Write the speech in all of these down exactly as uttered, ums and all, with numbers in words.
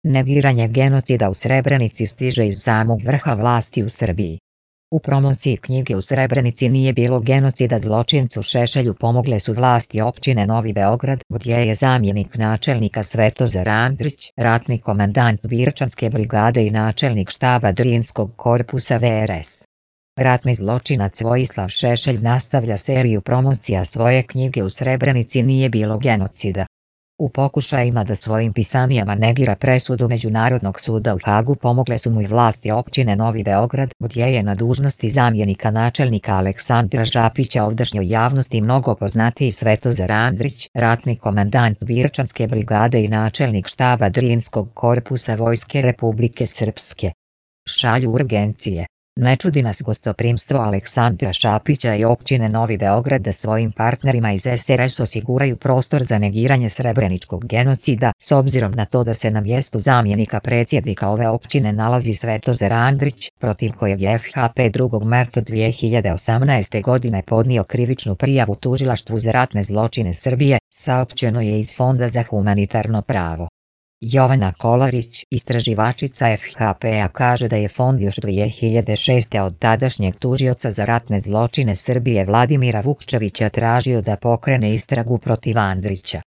Negiranje genocida u Srebrenici stiže iz samog vrha vlasti u Srbiji. U promociji knjige U Srebrenici nije bilo genocida zločincu Šešelju pomogle su vlasti općine Novi Beograd, gdje je zamjenik načelnika Svetozar Andrić, ratni komandant Birčanske brigade i načelnik štaba Drinskog korpusa V R S. Ratni zločinac Vojislav Šešelj nastavlja seriju promocija svoje knjige U Srebrenici nije bilo genocida. U pokušajima da svojim pisanijama negira presudu Međunarodnog suda u Hagu pomogle su mu i vlasti općine Novi Beograd, gdje je na dužnosti zamjenika načelnika Aleksandra Žapića ovdašnjoj javnosti mnogo poznatiji Svetozar Andrić, ratni komandant Birčanske brigade i načelnik štaba Drinskog korpusa Vojske Republike Srpske. Šalju urgencije. Ne čudi nas gostoprimstvo Aleksandra Šapića i općine Novi Beograd da svojim partnerima iz S R S osiguraju prostor za negiranje srebreničkog genocida, s obzirom na to da se na mjestu zamjenika predsjednika ove općine nalazi Svetozar Andrić, protiv kojeg je F H P drugog marta dvije hiljade osamnaeste. godine podnio krivičnu prijavu Tužilaštvu za ratne zločine Srbije, saopćeno je iz Fonda za humanitarno pravo. Jovana Kolarić, istraživačica F H P-a, kaže da je fond još dvije hiljade šeste. od tadašnjeg tužioca za ratne zločine Srbije Vladimira Vukčevića tražio da pokrene istragu protiv Andrića.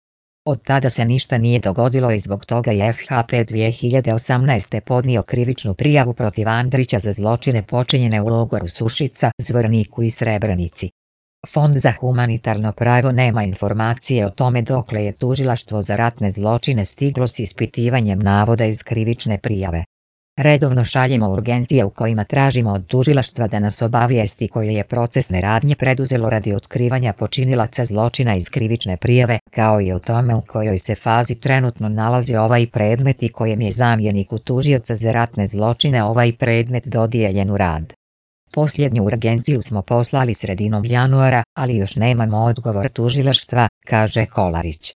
Od tada se ništa nije dogodilo i zbog toga je F H P dvije hiljade osamnaeste. podnio krivičnu prijavu protiv Andrića za zločine počinjene u logoru Sušica, Zvorniku i Srebrenici. Fond za humanitarno pravo nema informacije o tome dokle je tužilaštvo za ratne zločine stiglo s ispitivanjem navoda iz krivične prijave. Redovno šaljemo urgencije u kojima tražimo od tužilaštva da nas obavijesti koje je procesne radnje preduzelo radi otkrivanja počinilaca zločina iz krivične prijave, kao i o tome u kojoj se fazi trenutno nalazi ovaj predmet i kojem je zamjeniku tužioca za ratne zločine ovaj predmet dodijeljen u rad. Posljednju urgenciju smo poslali sredinom januara, ali još nemamo odgovor tužilaštva, kaže Kolarić.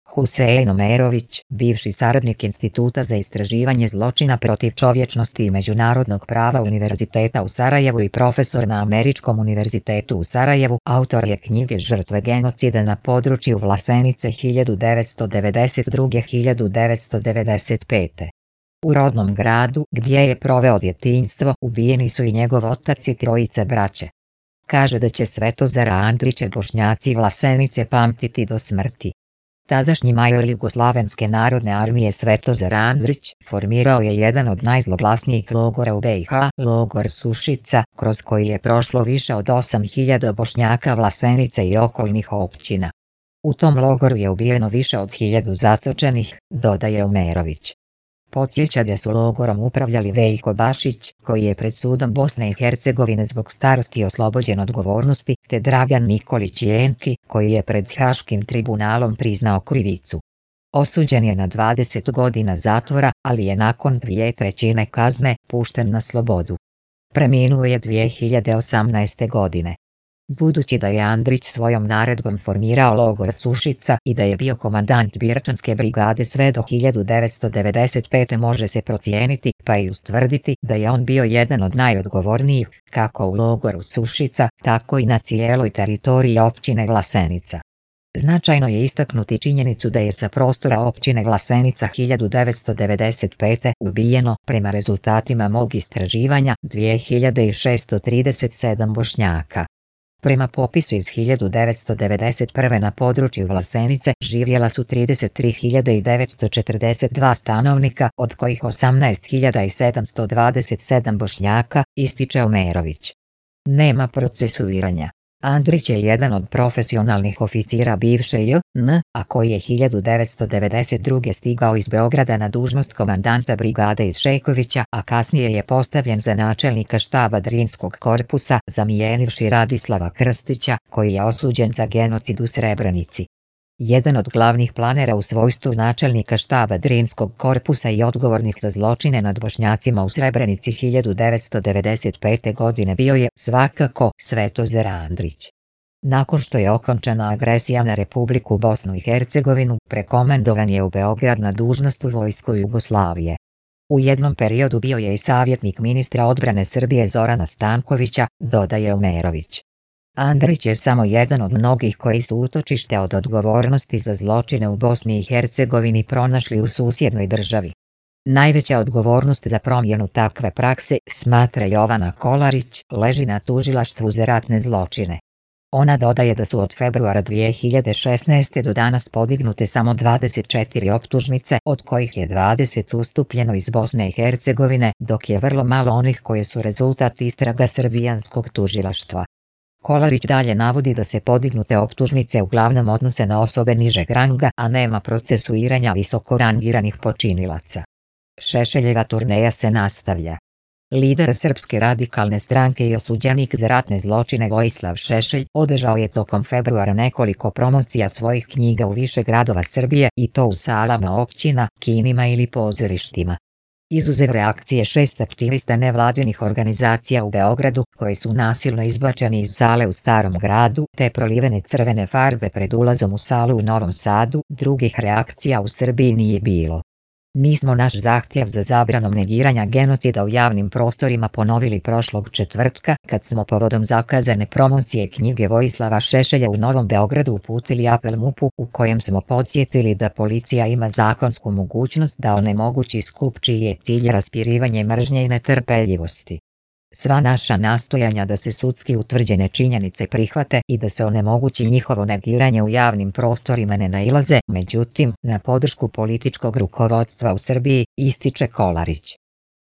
Husein Omerović, bivši saradnik Instituta za istraživanje zločina protiv čovječnosti i međunarodnog prava Univerziteta u Sarajevu i profesor na Američkom univerzitetu u Sarajevu, autor je knjige Žrtve genocida na području Vlasenice hiljadu devetsto devedeset druge do hiljadu devetsto devedeset pete. U rodnom gradu, gdje je proveo djetinjstvo, ubijeni su i njegov otac i trojice braće. Kaže da će Svetozara Andrića Bošnjaci Vlasenice pamtiti do smrti. Tadašnji major Jugoslavenske narodne armije Svetozar Andrić formirao je jedan od najzloglasnijih logora u B i H, logor Sušica, kroz koji je prošlo više od osam hiljada Bošnjaka Vlasenice i okolnih općina. U tom logoru je ubijeno više od hiljadu zatočenih, dodaje Omerović. Podsjeća da su logorom upravljali Veljko Bašić, koji je pred sudom Bosne i Hercegovine zbog starosti oslobođen odgovornosti, te Dragan Nikolić Jenki, koji je pred Haškim tribunalom priznao krivicu. Osuđen je na dvadeset godina zatvora, ali je nakon dvije trećine kazne pušten na slobodu. Preminuo je dvije hiljade osamnaeste. godine. Budući da je Andrić svojom naredbom formirao logor Sušica i da je bio komandant Birčanske brigade sve do hiljadu devetsto devedeset pete. može se procijeniti, pa i ustvrditi, da je on bio jedan od najodgovornijih, kako u logoru Sušica, tako i na cijeloj teritoriji općine Vlasenica. Značajno je istaknuti činjenicu da je sa prostora općine Vlasenica hiljadu devetsto devedeset pete. ubijeno, prema rezultatima mog istraživanja, dvije hiljade šesto trideset sedam Bošnjaka. Prema popisu iz hiljadu devetsto devedeset prve. na području Vlasenice živjela su trideset tri hiljade devetsto četrdeset dva stanovnika, od kojih osamnaest hiljada sedamsto dvadeset sedam Bošnjaka, ističe Omerović. Nema procesuiranja. Andrić je jedan od profesionalnih oficira bivše J N A, a koji je hiljadu devetsto devedeset druge. stigao iz Beograda na dužnost komandanta brigade iz Šekovića, a kasnije je postavljen za načelnika štaba Drinskog korpusa, zamijenivši Radislava Krstića, koji je osuđen za genocid u Srebrenici. Jedan od glavnih planera u svojstvu načelnika štaba Drinskog korpusa i odgovornih za zločine nad Bošnjacima u Srebrenici hiljadu devetsto devedeset pete. godine bio je, svakako, Svetozar Andrić. Nakon što je okončana agresija na Republiku Bosnu i Hercegovinu, prekomendovan je u Beograd na dužnost u vojsku Jugoslavije. U jednom periodu bio je i savjetnik ministra odbrane Srbije Zorana Stankovića, dodaje Omerović. Andrić je samo jedan od mnogih koji su utočište od odgovornosti za zločine u Bosni i Hercegovini pronašli u susjednoj državi. Najveća odgovornost za promjenu takve prakse, smatra Jovana Kolarić, leži na tužilaštvu za ratne zločine. Ona dodaje da su od februara dvije hiljade šesnaeste. do danas podignute samo dvadeset četiri optužnice, od kojih je dvadeset ustupljeno iz Bosne i Hercegovine, dok je vrlo malo onih koje su rezultat istraga srbijanskog tužilaštva. Kolarić dalje navodi da se podignute optužnice uglavnom odnose na osobe nižeg ranga, a nema procesuiranja visoko rangiranih počinilaca. Šešeljeva turneja se nastavlja. Lider Srpske radikalne stranke i osuđenik za ratne zločine Vojislav Šešelj održao je tokom februara nekoliko promocija svojih knjiga u više gradova Srbije, i to u salama općina, kinima ili pozorištima. Izuzev reakcije šest aktivista nevladinih organizacija u Beogradu, koji su nasilno izbačeni iz sale u Starom gradu, te prolivene crvene farbe pred ulazom u salu u Novom Sadu, drugih reakcija u Srbiji nije bilo. Mi smo naš zahtjev za zabranom negiranja genocida u javnim prostorima ponovili prošlog četvrtka, kad smo povodom zakazane promocije knjige Vojislava Šešelja u Novom Beogradu uputili apel MUP-u, u kojem smo podsjetili da policija ima zakonsku mogućnost da onemogući skup čiji je cilj raspirivanje mržnje i netrpeljivosti. Sva naša nastojanja da se sudski utvrđene činjenice prihvate i da se onemogući njihovo negiranje u javnim prostorima ne nailaze, međutim, na podršku političkog rukovodstva u Srbiji, ističe Kolarić.